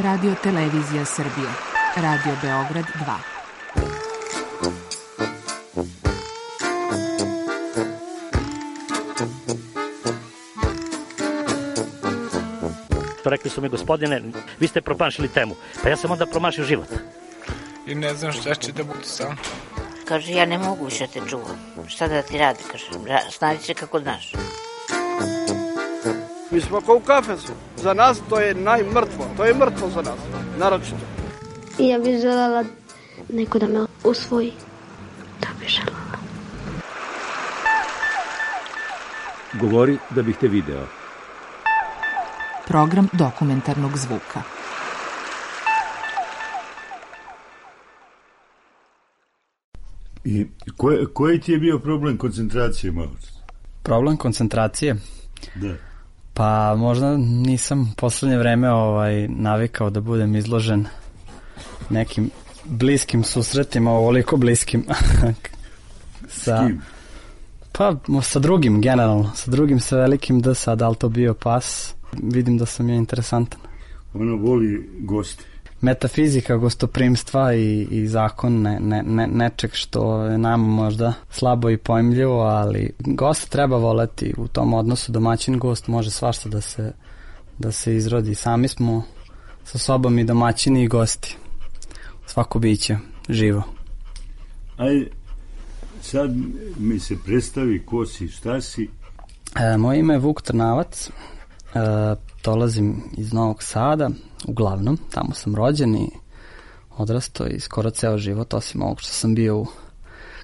Radio Televizija Srbije. Radio Beograd 2. Rekli su mi, gospodine, vi ste promašili temu. Pa ja sam onda promašio život. I ne znam šta će da bude sam. Kaže, ja ne mogu više te čuvam. Šta da ti radi, kaže, snađi se kako znaš. Mi smo kao u kafesu. Za nas to je najmrtvo. To je mrtvo za nas, naročito. I ja bih želela neko da me usvoji. To bih želela. Govori da bih te video. Program dokumentarnog zvuka. I koji ti je bio problem koncentracije, malo? Problem koncentracije? Da. Pa možda nisam u poslednje vreme navikao da budem izložen nekim bliskim susretima, ovoliko bliskim. S kim? Pa sa drugim, generalno. Sa drugim, sa velikim D sad, ali to bio pas. Vidim da sam je interesantan. Ona voli goste. Metafizika gostoprimstva i zakon nečeg što je nama možda slabo i pojmljivo, ali gost treba voleti u tom odnosu. Domaćin gost može svašta da se izrodi. Sami smo sa sobom i domaćini i gosti. Svako biće živo. Ajde, sad mi se predstavi ko si, šta si. Moje ime je Vuk Trnavac. Dolazim iz Novog Sada, uglavnom, tamo sam rođen i odrastao i skoro ceo život, osim ovog što sam bio u,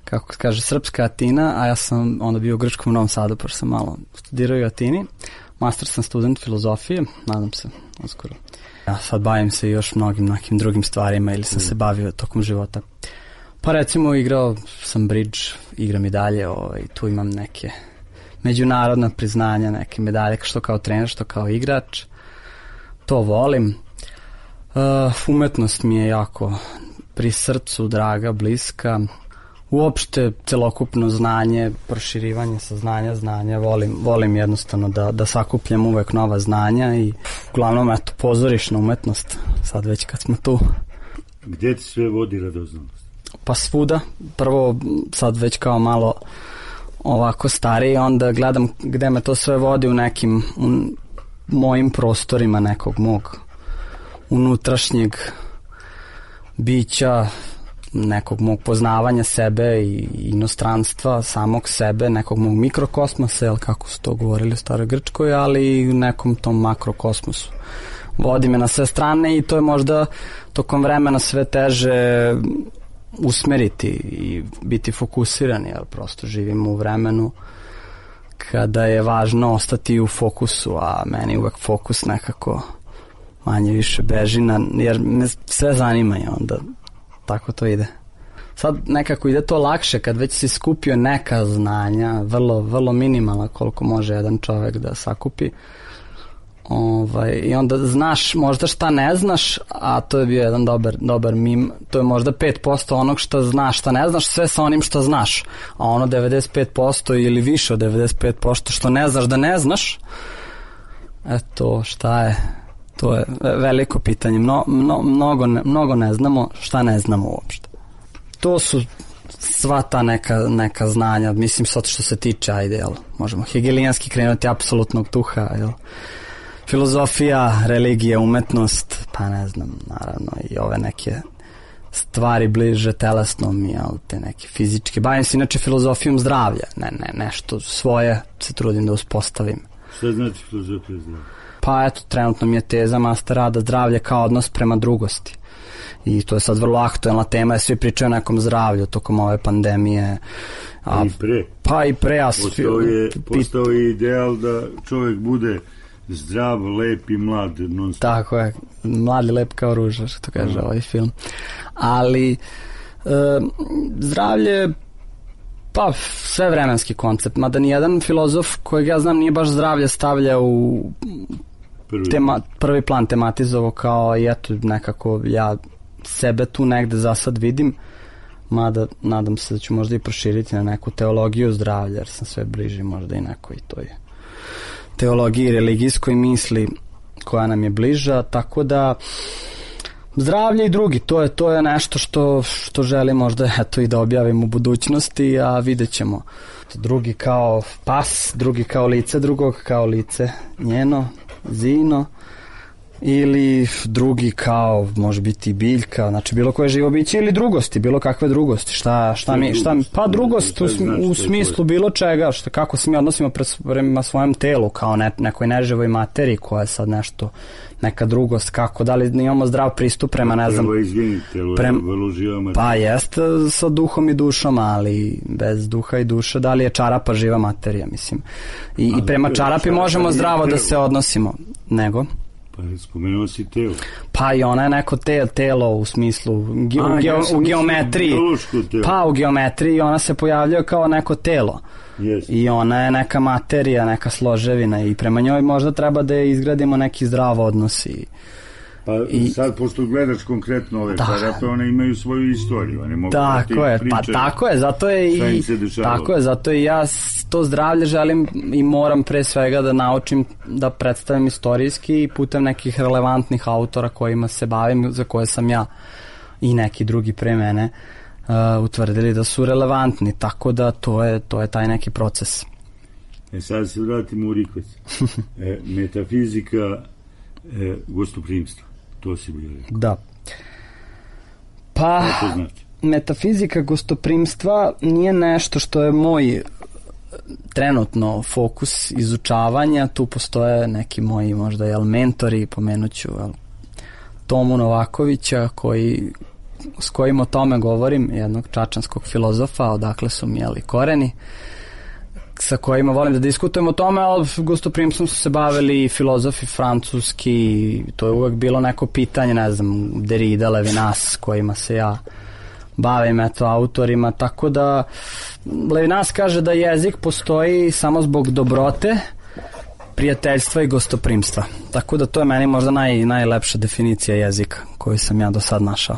kako kaže, srpska Atina, a ja sam onda bio u grčkom Novom Sadu, pošto sam malo studirao u Atini. Master sam student filozofije, nadam se uskoro. Ja sad bavim se još mnogim nekim drugim stvarima ili sam se bavio tokom života. Pa recimo igrao sam bridge, igram i dalje, tu imam neke međunarodna priznanja, neke medalje, što kao trener, što kao igrač. To volim. Umetnost mi je jako pri srcu, draga, bliska. Uopšte celokupno znanje, proširivanje znanja, volim jednostavno da sakupljam uvek nova znanja i uglavnom pozorišna umetnost, sad već kad smo tu. Gde ti sve vodi radoznalost? Pa svuda. Prvo sad već kao malo ovako stariji, onda gledam gde me to sve vodi u nekim mojim prostorima nekog mog unutrašnjeg bića, nekog mog poznavanja sebe i inostranstva, samog sebe, nekog mog mikrokosmosa, kako su to govorili u staroj Grčkoj, ali i u nekom tom makrokosmosu. Vodi me na sve strane i to je možda tokom vremena sve teže usmeriti i biti fokusiran, jer prosto živimo u vremenu kada je važno ostati u fokusu, a meni uvek fokus nekako manje više beži, jer me sve zanima i onda tako to ide. Sad nekako ide to lakše kad već si skupio neka znanja, vrlo, vrlo minimalna koliko može jedan čovek da sakupi. I onda znaš možda šta ne znaš, a to je bio jedan dobar mim, to je možda 5% onog što znaš, šta ne znaš, sve sa onim što znaš, a ono 95% ili više od 95% što ne znaš da ne znaš, eto šta je, to je veliko pitanje. Mnogo ne znamo, šta ne znamo uopšte. To su sva ta neka znanja, mislim sad što se tiče, možemo hegelijanski krenuti apsolutnog duha, filozofija, religija, umetnost, pa ne znam, naravno i ove neke stvari bliže telesnom, te neke fizičke. Bavim se inače filozofijom zdravlja, nešto svoje se trudim da uspostavim. Šta znači filozofija zdravlja? Pa eto, trenutno mi je teza master rada zdravlje kao odnos prema drugosti. I to je sad vrlo aktuelna tema, svi pričaju o nekom zdravlju tokom ove pandemije. I pre. Pa i pre. Postao je ideal da čovjek bude zdrav, lep i mlad. Tako je, mlad i lep kao ruža, što kaže ovaj film. Ali zdravlje, pa sve vremenski koncept, mada nijedan filozof kojeg ja znam nije baš zdravlje stavlja u prvi plan, tematizovo kao i eto nekako ja sebe tu negde za sad vidim, mada nadam se da ću možda i proširiti na neku teologiju zdravlja, jer sam sve bliži možda i nekoj toj teologiji, religijskoj misli koja nam je bliža, tako da Zdravlje i drugi, to je nešto što želim možda eto i da objavim u budućnosti, a vidjet ćemo. Drugi kao pas, drugi kao lice drugog, kao lice njeno, Zino, ili drugi kao može biti biljka, znači bilo koje živo biće, ili drugosti, bilo kakve drugosti, šta mi, pa drugost u smislu bilo čega, kako se mi odnosimo prema svojem telu, kao nekoj neživoj materiji koja je sad nešto, neka drugost, kako, da li imamo zdrav pristup prema, ne znam, pa jest sa duhom i dušom, ali bez duha i duše, da li je čarapa živa materija, mislim, i prema čarapi možemo zdravo da se odnosimo, nego Pa spomenuo si telo. Pa i ona je neko telo u smislu u geometriji. Pa u geometriji ona se pojavljuje kao neko telo. Yes. I ona je neka materija, neka složevina i prema njoj možda treba da izgradimo neki zdrav odnos. Pa sad, pošto gledaš konkretno ove čarape, one imaju svoju istoriju, one mogu tako da je, ti pričaju tako je, zato i ja to zdravlje želim i moram pre svega da naučim da predstavim istorijski i putem nekih relevantnih autora kojima se bavim, za koje sam ja i neki drugi pre mene utvrdili da su relevantni, tako da to je taj neki proces. Sad se vratimo u Rikvec. Metafizika gostoprimstva. To si bio rekao. Da. Pa, metafizika gostoprimstva nije nešto što je moj trenutno fokus izučavanja. Tu postoje neki moji možda mentori, pomenuću Tomu Novakovića s kojim o tome govorim, jednog čačanskog filozofa, odakle su mi koreni, sa kojima volim da diskutujem o tome, ali gostoprimstvom su se bavili filozofi francuski, to je uvek bilo neko pitanje, ne znam, Derrida, Levinas, kojima se ja bavim, autorima, tako da Levinas kaže da jezik postoji samo zbog dobrote, prijateljstva i gostoprimstva. Tako da to je meni možda najlepša definicija jezika koju sam ja do sad našao.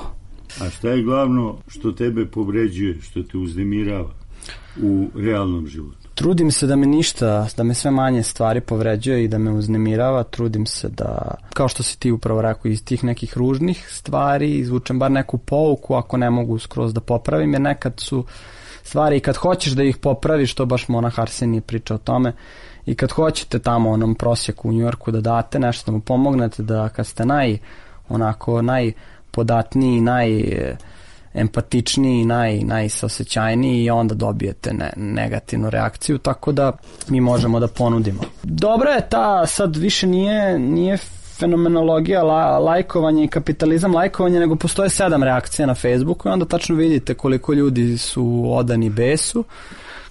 A šta je glavno što tebe povređuje, što te uznemirava u realnom životu? Trudim se da me sve manje stvari povređuje i da me uznemirava, trudim se da, kao što si ti upravo rekao, iz tih nekih ružnih stvari izvučem bar neku pouku, ako ne mogu skroz da popravim, jer nekad su stvari i kad hoćeš da ih popraviš, to baš Monah Arsenije priča o tome, i kad hoćete tamo onom prosjeku u Njujorku da date nešto, da mu pomognete, da kad ste najpodatniji, empatičniji, najsaosećajniji i onda dobijete negativnu reakciju, tako da mi možemo da ponudimo. Dobro je sad više nije fenomenologija lajkovanja i kapitalizam lajkovanja, nego postoje 7 reakcija na Facebooku i onda tačno vidite koliko ljudi su odani besu,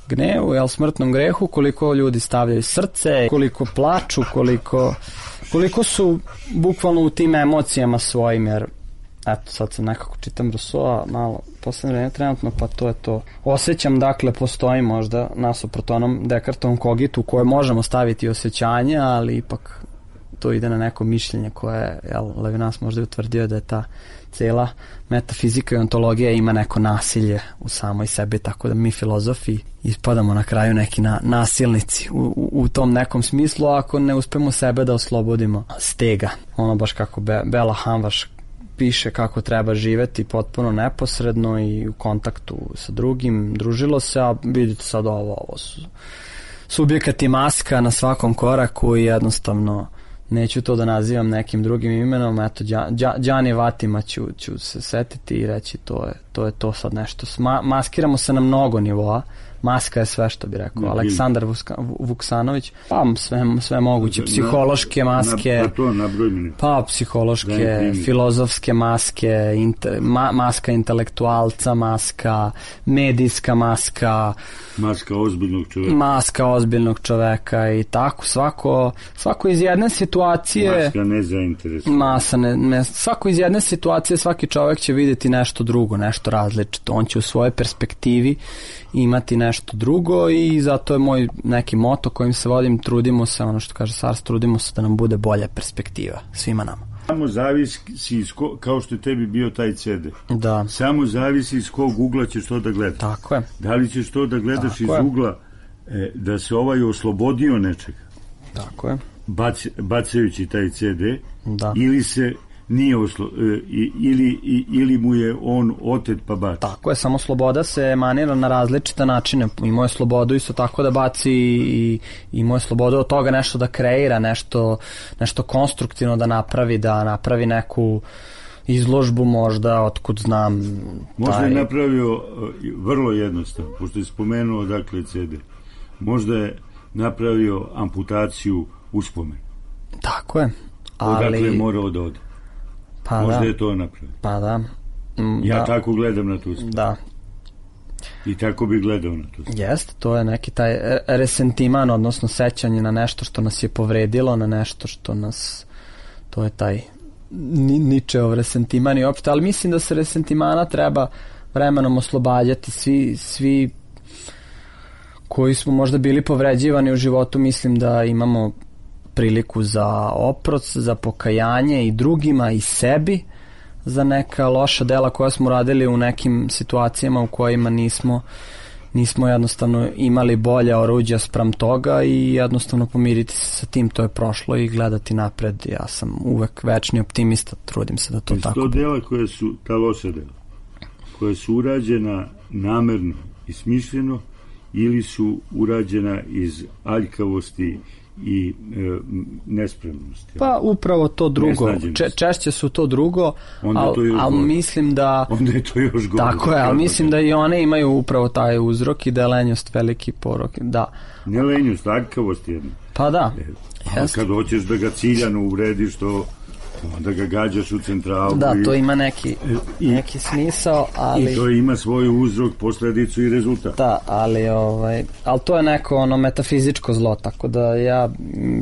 gnevu, smrtnom grehu, koliko ljudi stavljaju srce, koliko plaču, koliko su bukvalno u tim emocijama svojim, jer eto, sad sam nekako čitam Rousseau, malo poslednje vreme trenutno, pa to je to. Osjećam, dakle, postoji možda nasuprot onom Descartovom kogitu koje možemo staviti osjećanje, ali ipak to ide na neko mišljenje koje, Levinas možda je utvrdio da je ta cela metafizika i ontologija ima neko nasilje u samoj sebi, tako da mi filozofi ispadamo na kraju neki nasilnici u tom nekom smislu, ako ne uspemo sebe da oslobodimo stega. Ono baš kako Bela Hamvaš piše kako treba živeti potpuno neposredno i u kontaktu sa drugim, družilo se, a vidite sad ovo su subjekat i maska na svakom koraku i jednostavno neću to da nazivam nekim drugim imenom, eto, Đani Vatima ću se setiti i reći to je to sad nešto. Maskiramo se na mnogo nivoa, maska je sve, što bi rekao Aleksandar Vuksanović, pa sve moguće, psihološke maske, pa psihološke, filozofske maske, maska intelektualca, maska medijska maska, maska ozbiljnog čoveka i tako, svako iz jedne situacije, maska nezainteresovana, svako iz jedne situacije svaki čovek će vidjeti nešto drugo, nešto različito, on će u svojoj perspektivi imati nešto drugo i zato je moj neki moto kojim se vodim, trudimo se, ono što kaže Sars, trudimo se da nam bude bolja perspektiva svima nama. Samo zavisi kao što je tebi bio taj CD. Da. Samo zavisi iz kog ugla ćeš to da gledaš. Tako je. Da li ćeš to da gledaš iz ugla da se oslobodio nečega. Tako je. Bacajući taj CD, da. Ili se nije ili mu je on otet pa baci. Tako je, samo sloboda se emanira na različite načine. Imao je slobodu isto tako da baci i imao je slobodu od toga nešto da kreira, nešto konstruktivno da napravi neku izložbu možda, otkud znam. Možda je napravio vrlo jednostavno, pošto je spomenuo dakle CD. Možda je napravio amputaciju uspomenu. Tako je. Odakle je morao da ode. Pa možda da. je to napravio. Pa da. Ja tako gledam na tu stvar. Da. I tako bi gledao na to. Jeste, to je neki taj resentiman, odnosno sećanje na nešto što nas je povredilo, na nešto što nas, to je taj Ničeov resentiman i opšte, ali mislim da se resentimana treba vremenom oslobađati. Svi koji smo možda bili povređivani u životu, mislim da imamo priliku za oprost, za pokajanje i drugima i sebi za neka loša dela koja smo radili u nekim situacijama u kojima nismo jednostavno imali bolje oruđa spram toga i jednostavno pomiriti se sa tim, to je prošlo i gledati napred. Ja sam uvek večni optimista, trudim se da to tako. To dela koje su, ta loša dela, koja su urađena namerno i smišljeno ili su urađena iz aljkavosti i nespremnosti. Pa upravo to drugo. Češće su to drugo, ali mislim da... Onda je to još gore. Tako je, ali mislim da i one imaju upravo taj uzrok i da je lenjost veliki porok. Da. Ne lenjost, aljkavost jedna. Pa da. Ali kad hoćeš da ga ciljano uvrediš, to onda ga gađaš u centralu. Da, to ima neki smisao, ali... I to ima svoj uzrok, posledicu i rezultat. Da, ali to je neko metafizičko zlo, tako da ja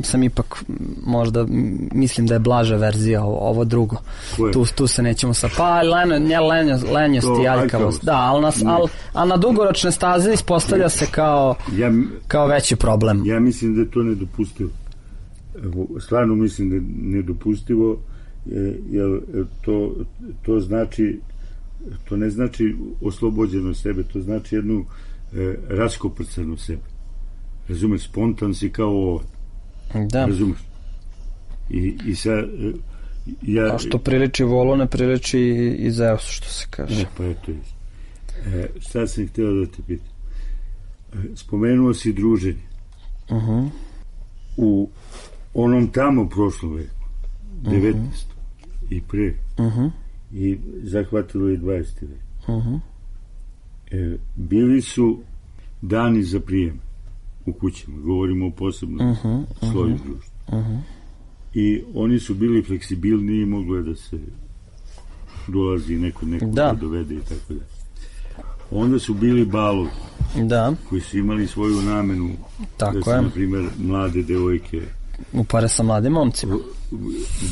sam ipak možda mislim da je blaža verzija ovo drugo. Tu se nećemo pa lenjost i aljkavost. Da, ali na dugoročne staze ispostavlja se kao veći problem. Ja mislim da je to nedopustivo. Stvarno mislim da je nedopustivo, jer to znači, to ne znači oslobođeno sebe, to znači jednu raskoprcanu sebe. Razumeš, spontan si kao ovo. Da. Razumeš? I sad a što priliči volu, ne priliči i Zeusu, što se kaže. Pa eto je. Šta sam htio da te pitam? Spomenuo si druženje. U onom tamo prošlom veku, 19. i pre, i zahvatilo i 20. vek. Bili su dani za prijem u kućama, govorimo o posebnom sloju društva. I oni su bili fleksibilni i moglo je da se dolazi neko da dovede i tako da. Onda su bili balovi koji su imali svoju namenu, da su, na primjer, mlade devojke upare sa mladim momcima,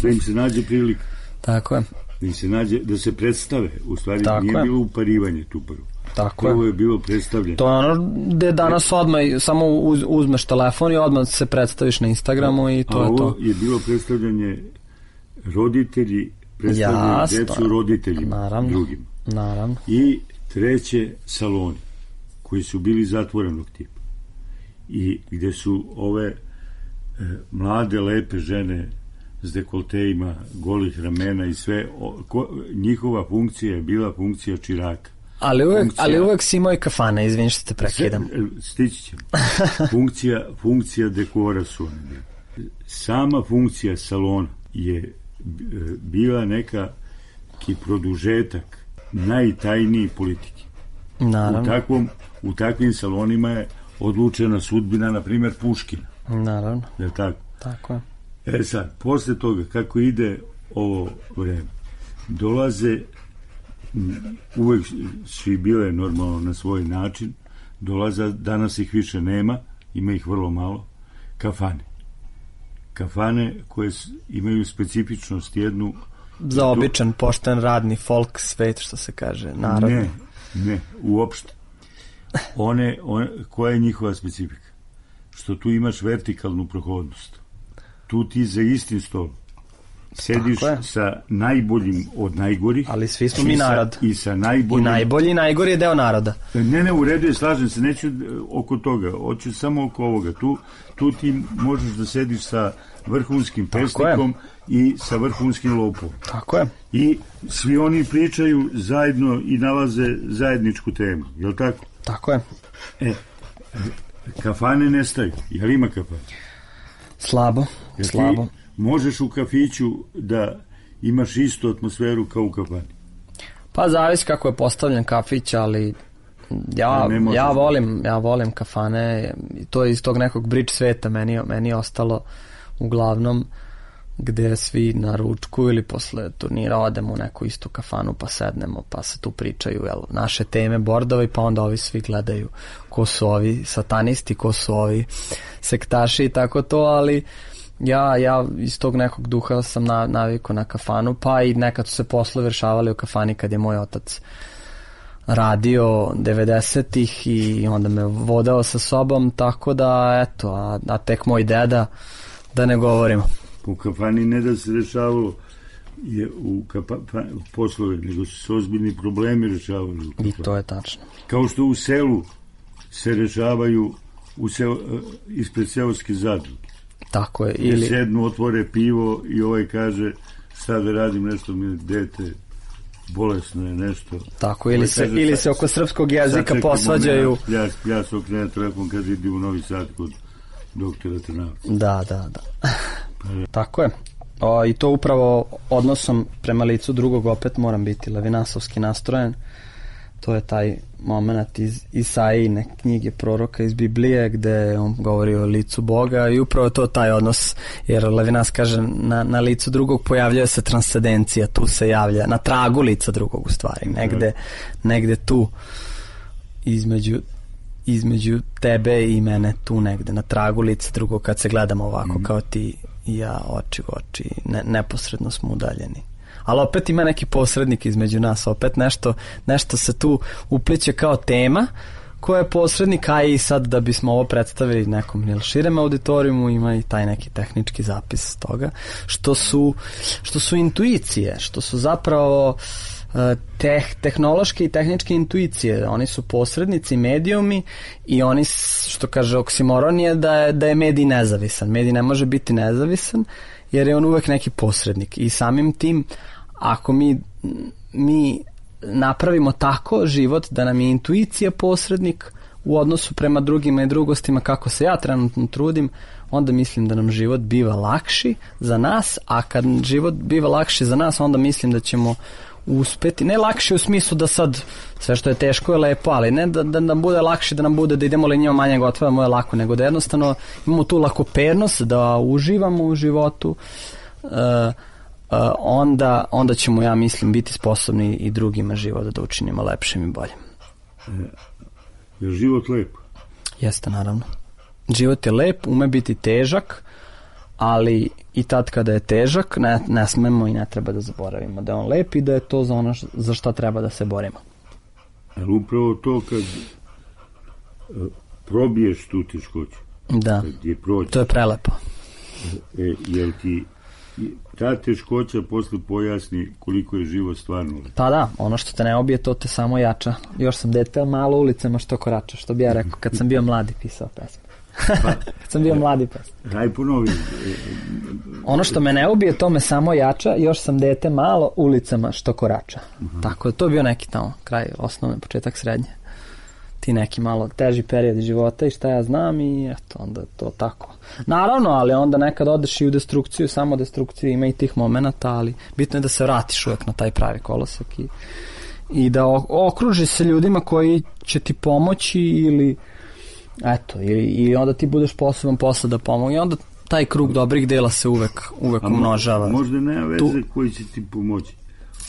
da im se nađe prilika. Tako je. Da im se nađe, da se predstave. U stvari nije bilo uparivanje tu prvo. Prvo je bilo predstavljanje. To je ono gde danas odmah samo uzmeš telefon i odmah se predstaviš na Instagramu i to je to. Ovo je bilo predstavljanje roditelji, predstavljanje decu roditeljima, drugim. Naravno. I treće, saloni koji su bili zatvorenog tipa i gde su ove mlade, lepe žene s dekoltejima, golih ramena i sve, njihova funkcija je bila funkcija čiraka. Ali uvek si imao i kafane, izvini što te prekidam. Stići ćemo. Funkcija dekora su one. Sama funkcija salona je bila neka produžetak najtajniji politike. Naravno. U takvim salonima je odlučena sudbina, na primjer, Puškina. Naravno. Je tako? Tako je. Sad, posle toga, kako ide ovo vreme, dolaze, uvek su i bile normalno na svoj način, dolaze, danas ih više nema, ima ih vrlo malo, kafane. Kafane koje imaju specifičnost jednu... Za običan, pošten, radni folk svet, što se kaže, naravno. Ne, uopšte. Koja je njihova specifika? Što tu imaš vertikalnu prohodnost. Tu ti za istim stolom sediš sa najboljim od najgorih. Ali svi smo mi narod. I sa najboljim... I najbolji i najgori je deo naroda. Ne, u redu je, slažem se, neću oko toga, hoću samo oko ovoga. Tu ti možeš da sediš sa vrhunskim pesnikom i sa vrhunskim lopom. Tako je. I svi oni pričaju zajedno i nalaze zajedničku temu, je li tako? Tako je. Kafane nestaju, je li ima kafane? Slabo. Ti možeš u kafiću da imaš istu atmosferu kao u kafani? Pa zavisi kako je postavljen kafić, ali ja volim kafane, to je iz tog nekog bridge sveta, meni je ostalo uglavnom gde svi na ručku ili posle turnira odemo u neku istu kafanu pa sednemo pa se tu pričaju naše teme bordovi, pa onda ovi svi gledaju ko su ovi satanisti, ko su ovi sektaši i tako to, ali ja iz tog nekog duha sam navikao na kafanu, pa i nekad su se poslovi rešavali u kafani kad je moj otac radio 90-ih i onda me vodao sa sobom, tako da eto, a tek moj deda, da ne govorimo. U kafani ne da se rešavalo u poslove, nego su se ozbiljni problemi rešavali. I to je tačno. Kao što u selu se rešavaju ispred seoske zadruge. Tako je. Ili sednu, otvore pivo i ovaj kaže šta da radim, nešto mi dete bolesno je nešto. Tako, ili se oko srpskog jezika posvađaju. Ja se okrenem telefon kad idim u Novi Sad kod doktora Trnavca. Da. Tako je. I to upravo odnosom prema licu drugog opet moram biti levinasovski nastrojen. To je taj moment iz Isaijine knjige proroka iz Biblije gde on govori o licu Boga i upravo to taj odnos, jer Levinas kaže na licu drugog pojavljuje se transcendencija, tu se javlja na tragu lica drugog u stvari, negde tu između tebe i mene, tu negde na tragu lica drugog kad se gledamo ovako kao ti i ja oči u oči, neposredno smo udaljeni. Ali opet ima neki posrednik između nas, opet nešto se tu upliće kao tema koja je posrednik, a i sad da bismo ovo predstavili nekom širem auditorijumu ima i taj neki tehnički zapis toga, što su intuicije, što su zapravo tehnološke i tehničke intuicije. Oni su posrednici, medijumi i oni, što kaže oksimoron je da je medij nezavisan. Medij ne može biti nezavisan jer je on uvek neki posrednik i samim tim ako mi napravimo tako život da nam je intuicija posrednik u odnosu prema drugima i drugostima kako se ja trenutno trudim, onda mislim da nam život biva lakši za nas, a kad život biva lakši za nas, onda mislim da ćemo uspeti, ne lakše u smislu da sad sve što je teško je lepo, ali ne da nam bude lakše, da nam bude da idemo linijom manjeg otvora, moje lako, nego da jednostavno imamo tu lakopernost, da uživamo u životu, onda ćemo, ja mislim, biti sposobni i drugima život da učinimo lepšim i boljim. Je život lep? Jeste, naravno. Život je lep, ume biti težak, ali i tad kada je težak ne smemo i ne treba da zaboravimo da je on lep i da je to za ono za što treba da se borimo. Ali upravo to kad probiješ tu teškoću, da, to je prelepo. Jel ti ta teškoća posle pojasni koliko je život stvarno lep? Pa da, ono što te ne obije to te samo jača. Još sam dete, malo ulicama što korača, što bi ja rekao kad sam bio mladi pisao pesmu. Kad sam bio mladi pesmu. Daj ponovi. Ono što me ne ubije, to me samo jača, još sam dete malo ulicama što korača. Tako da to je bio neki tamo kraj osnovne, početak srednje. Ti neki malo teži period života i šta ja znam i eto, onda to tako. Naravno, ali onda nekad odeš i u destrukciju, samo destrukciju, ima i tih momenata, ali bitno je da se vratiš uvek na taj pravi kolosek i da okruži se ljudima koji će ti pomoći ili eto, i onda ti budeš sposoban posle da pomoći i onda taj krug dobrih dela se uvek umnožava. Možda nema veze koji će ti pomoći.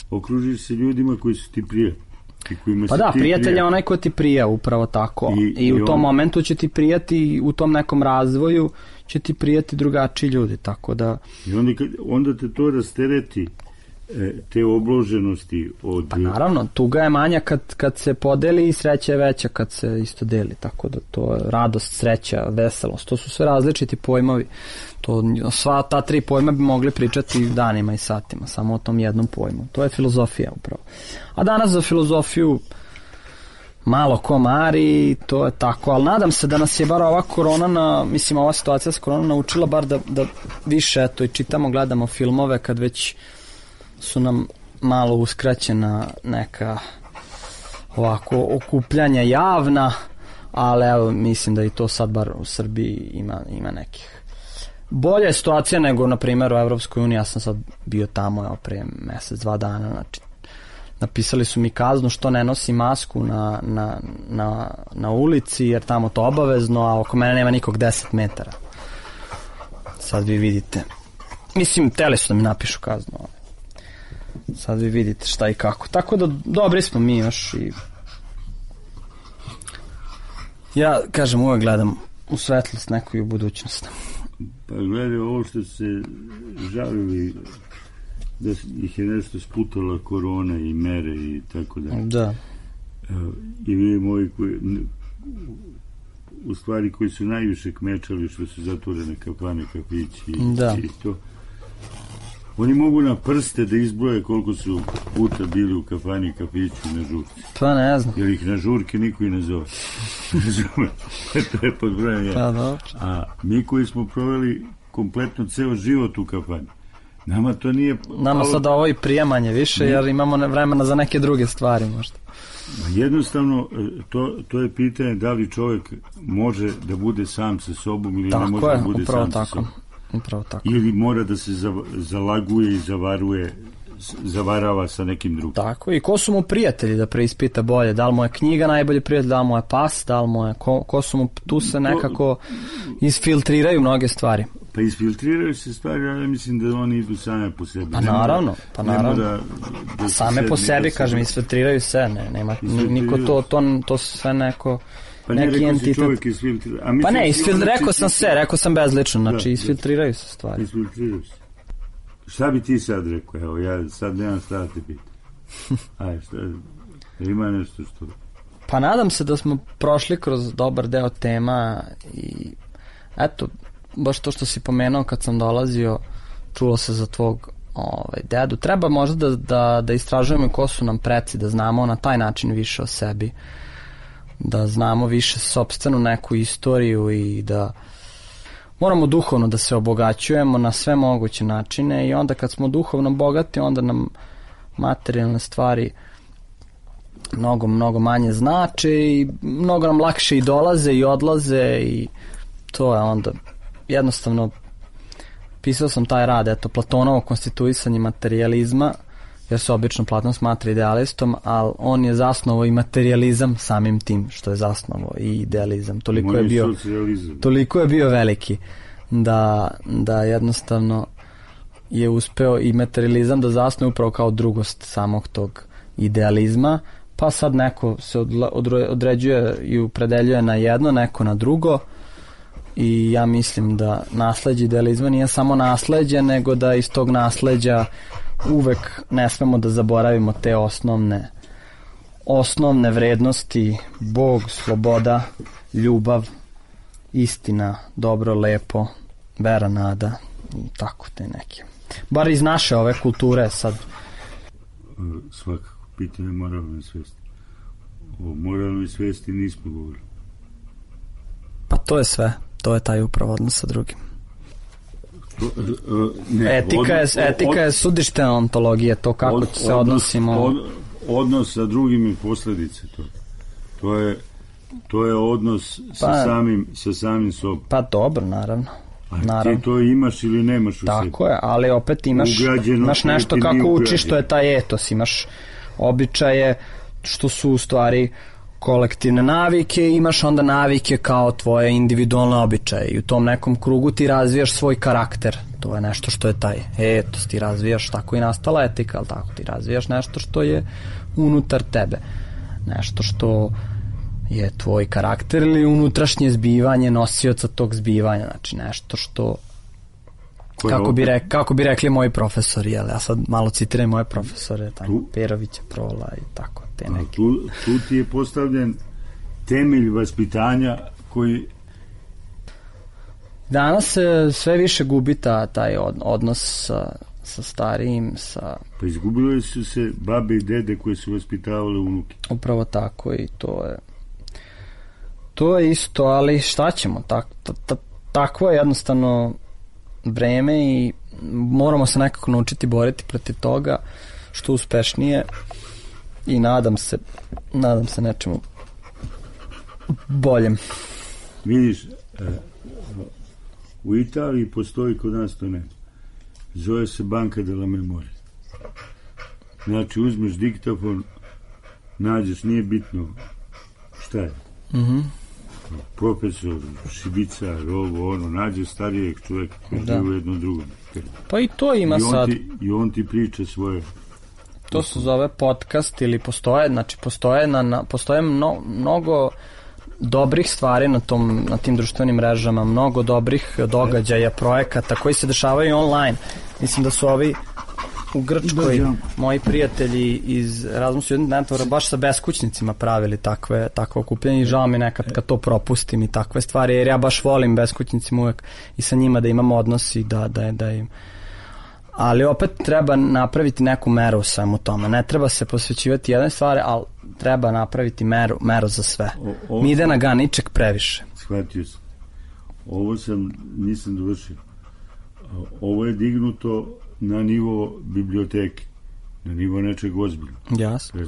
Okružiš se ljudima koji su ti prijatni. Pa da, prijatelj je onaj ko ti prija, upravo tako. I u tom momentu će ti prijati, u tom nekom razvoju će ti prijati drugačiji ljudi, tako da... I onda te to rastereti te obloženosti od... Pa naravno, tuga je manja kad se podeli i sreća je veća kad se isto deli, tako da to je radost, sreća, veselost, to su sve različiti pojmovi. Sva ta 3 pojma bi mogli pričati danima i satima, samo o tom jednom pojmu. To je filozofija upravo. A danas za filozofiju malo ko mari, to je tako, ali nadam se da nas je bar ova korona, ova situacija s koronom naučila bar da više, eto, i čitamo, gledamo filmove kad već su nam malo uskraćena neka ovako okupljanja javna, ali evo, mislim da i to sad bar u Srbiji ima nekih. Bolja je situacija nego, na primjer, u Evropskoj uniji. Ja sam sad bio tamo, evo, prije mesec, 2 dana, znači napisali su mi kaznu što ne nosi masku na ulici, jer tamo to obavezno, a oko mene nema nikog 10 metara. Sad vi vidite. Mislim, teli su da mi napišu kaznu. Sad vi vidite šta i kako. Tako da, dobri smo mi još i... Ja, kažem, uvek gledam u svetlost neku i u budućnost. Pa gledaj, ovo što se žalili da ih je nešto sputala korona i mere i tako da. Da. I vi moji u stvari koji su najviše kmečali što su zatvorene kafane, kafići i to. Oni mogu na prste da izbroje koliko su puta bili u kafani, kafiću i na žurci. Pa ne znam. Jer ih na žurke niko i ne zove. To je pod brojem 1. Pa dobro. A mi koji smo proveli kompletno ceo život u kafani, nama to nije... Nama sad ovo i prijemanje više, jer imamo vremena za neke druge stvari možda. Jednostavno, to je pitanje da li čovjek može da bude sam sa sobom ili ne može da bude sam sa sobom. Upravo tako. Ili mora da se zalaguje i zavarava sa nekim drugim. Tako, i ko su mu prijatelji da preispita bolje, da li mu je knjiga najbolji prijatelj, da li mu je pas, da li mu je ko su mu, tu se nekako isfiltriraju mnoge stvari. Pa isfiltriraju se stvari, ali mislim da oni idu same po sebi. Pa naravno. Da same po sebi, kažem, isfiltriraju se, nema niko to sve neko... Pa ne, rekao si čovjek isfiltrira. Pa ne, rekao sam bezlično, znači isfiltriraju se stvari. Isfiltriraju se. Šta bi ti sad rekao? Evo, ja sad nemam šta da te pitam. Ajde, šta, ima nešto što... Pa nadam se da smo prošli kroz dobar deo tema i eto, baš to što si pomenuo kad sam dolazio, čulo se za tvog dedu. Treba možda da istražujemo ko su nam preci, da znamo na taj način više o sebi, da znamo više sopstvenu neku istoriju i da moramo duhovno da se obogaćujemo na sve moguće načine i onda kad smo duhovno bogati, onda nam materijalne stvari mnogo manje znače i mnogo nam lakše i dolaze i odlaze i to je onda jednostavno. Pisao sam taj rad, eto, Platonovo konstituisanje materijalizma, jer se obično Platon smatra idealistom, ali on je zasnovao i materijalizam samim tim što je zasnovao i idealizam. Toliko je bio veliki da jednostavno je uspeo i materializam da zasnuje upravo kao drugost samog tog idealizma, pa sad neko se određuje i opredeljuje na jedno, neko na drugo i ja mislim da nasleđe idealizma nije samo nasleđe, nego da iz tog nasleđa uvek ne smemo da zaboravimo te osnovne vrednosti: Bog, sloboda, ljubav, istina, dobro, lepo, vera, nada i tako te neke. Bar iz naše ove kulture sad. Svakako, pitanje moralne svesti. O moralnoj svesti nismo govorili. Pa to je sve. To je taj upravo odnos sa drugim. Etika je sudište ontologije, to kako se odnosimo. Odnos sa drugim i posljedice to je odnos sa samim sobom. Pa dobro, naravno. Ti to imaš ili nemaš u sebi. Tako je, ali opet imaš nešto kako učiš, što je taj etos, imaš običaje što su u stvari kolektivne navike, imaš onda navike kao tvoje individualne običaje i u tom nekom krugu ti razvijaš svoj karakter. To je nešto što je taj etos, ti razvijaš, tako i nastala etika, ali tako ti razvijaš nešto što je unutar tebe, nešto što je tvoj karakter ili unutrašnje zbivanje nosioca tog zbivanja, znači nešto što Kako bi rekli moji profesori, jel? Ja sad malo citiram moje profesore, Perovića, Prola i tako, te neke. Tu ti je postavljen temelj vaspitanja koji... Danas se sve više gubi taj odnos sa starijim, Pa izgubile su se babe i dede koje su vaspitavale unuke. Upravo tako, i to je isto, ali šta ćemo, takvo je jednostavno vreme i moramo se nekako naučiti boriti protiv toga što uspešnije i nadam se nečemu boljem. Vidiš, u Italiji postoji, kod nas to ne. Zove se Banka della Memoria. Znači, uzmeš diktafon, nađeš, nije bitno šta je. Profesor, šibicar, nađeš starijeg čovjeka koji je u jednom drugom. Pa i to ima sad. I on ti priča svoje. To se zove podcast ili postoje mnogo dobrih stvari na tim društvenim mrežama, mnogo dobrih događaja, projekata koji se dešavaju online. Mislim da su ovi u Grčkoj moji prijatelji iz Erasmus Student Networka baš sa beskućnicima pravili takve okupljanje i žao mi nekad kad to propustim i takve stvari, jer ja baš volim beskućnicima uvek i sa njima da imam odnos i da im... Ali opet treba napraviti neku meru u svemu tome. Ne treba se posvećivati jedne stvari, ali treba napraviti meru za sve. Mi ide na ganiček previše. Shvatio sam. Ovo nisam dovršio. Ovo je dignuto na nivo biblioteke, na nivo nečeg ozbiljnog. Jasno.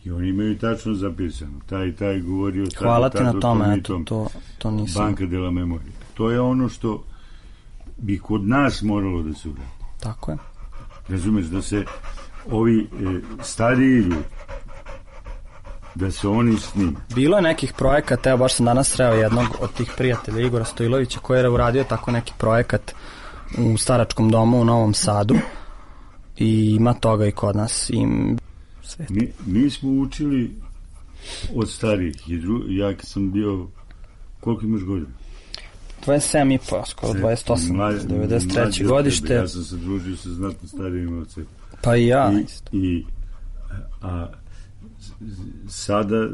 I oni imaju tačno zapisano. Taj govorio... Hvala ti na tome, to nisam. Banka della Memoria. To je ono što bi kod nas moralo da se uradi. Tako je. Razumeš, da se ovi stariji ljudi, da se oni snime. Bilo je nekih projekata, evo baš sam danas sreo jednog od tih prijatelja, Igora Stojlovića, koji je uradio tako neki projekat u staračkom domu u Novom Sadu i ima toga i kod nas. Mi smo učili od starijih. Ja kad sam bio, koliko imaš godina? 27,5, skoro 28, 93. godište. Ja sam se družio sa znatno starijim od sebe. Pa i ja. Sada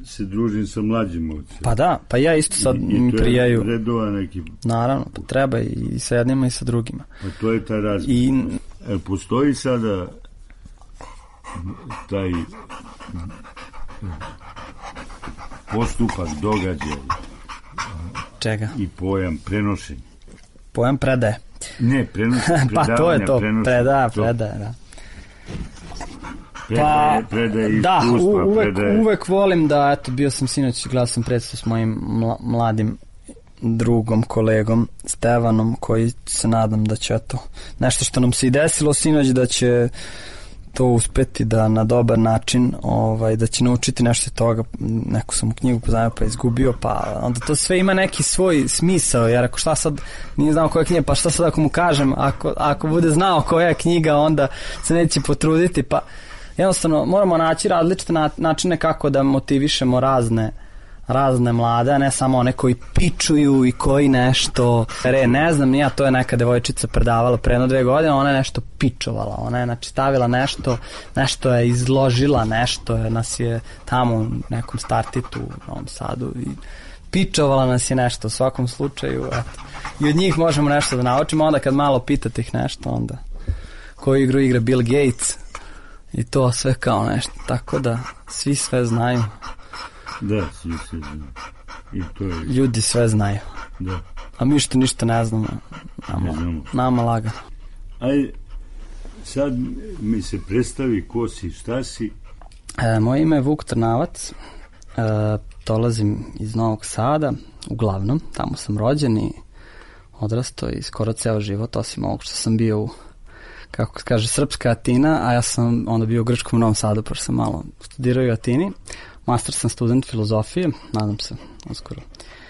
se družim sa mlađim od sebe. Pa da, pa ja isto sad mi prijaju. I to je redova neki. Naravno, pa treba i sa jednima i sa drugima. Pa to je taj razlog. Postoji sada taj postupak, događaj. Čega? I pojam prenošenja. Pojam predaje. Ne, predavanja. Pa to je to, predaje, da. Uvek volim da, bio sam sinoć, gledao sam predstavu s mojim mladim drugom, kolegom Stevanom, koji se nadam da će nešto što nam se i desilo sinoć, da će to uspeti da na dobar način, da će naučiti nešto toga. Neku sam u knjigu poznao pa izgubio, pa onda to sve ima neki svoj smisao, jer ako šta sad nije znao koja je knjiga, pa šta sad ako mu kažem, ako bude znao koja je knjiga, onda se neće potruditi, pa jednostavno moramo naći različite načine kako da motivišemo razne mlade, a ne samo one koji pičuju i koji nešto, ne znam, to je neka devojčica predavala pre 2 godine, ona je nešto pičovala, ona je znači stavila nešto je izložila, nas je tamo u nekom startitu u Novom Sadu i pičovala nas je nešto u svakom slučaju, i od njih možemo nešto da naučimo, onda kad malo pitate ih nešto, onda koju igru igra Bill Gates i to sve kao nešto, tako da svi sve znaju. Da, svi sve znaju. I to je... Ljudi sve znaju. Da. A mi što ništa ne znamo. Nama lagano. Ajde, sad mi se predstavi ko si, šta si. Moje ime je Vuk Trnavac. Dolazim iz Novog Sada, uglavnom. Tamo sam rođen i odrastao i skoro ceo život, osim ovog što sam bio u, kako se kaže, srpska Atina, a ja sam onda bio u Grčkom Novom Sadu, pa sam malo studirao u Atini. Master sam student filozofije, nadam se, uskoro.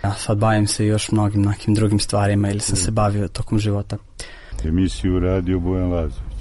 Ja sad bavim se još mnogim nekim drugim stvarima ili sam se bavio tokom života. Emisiju radio Bojan Lazović.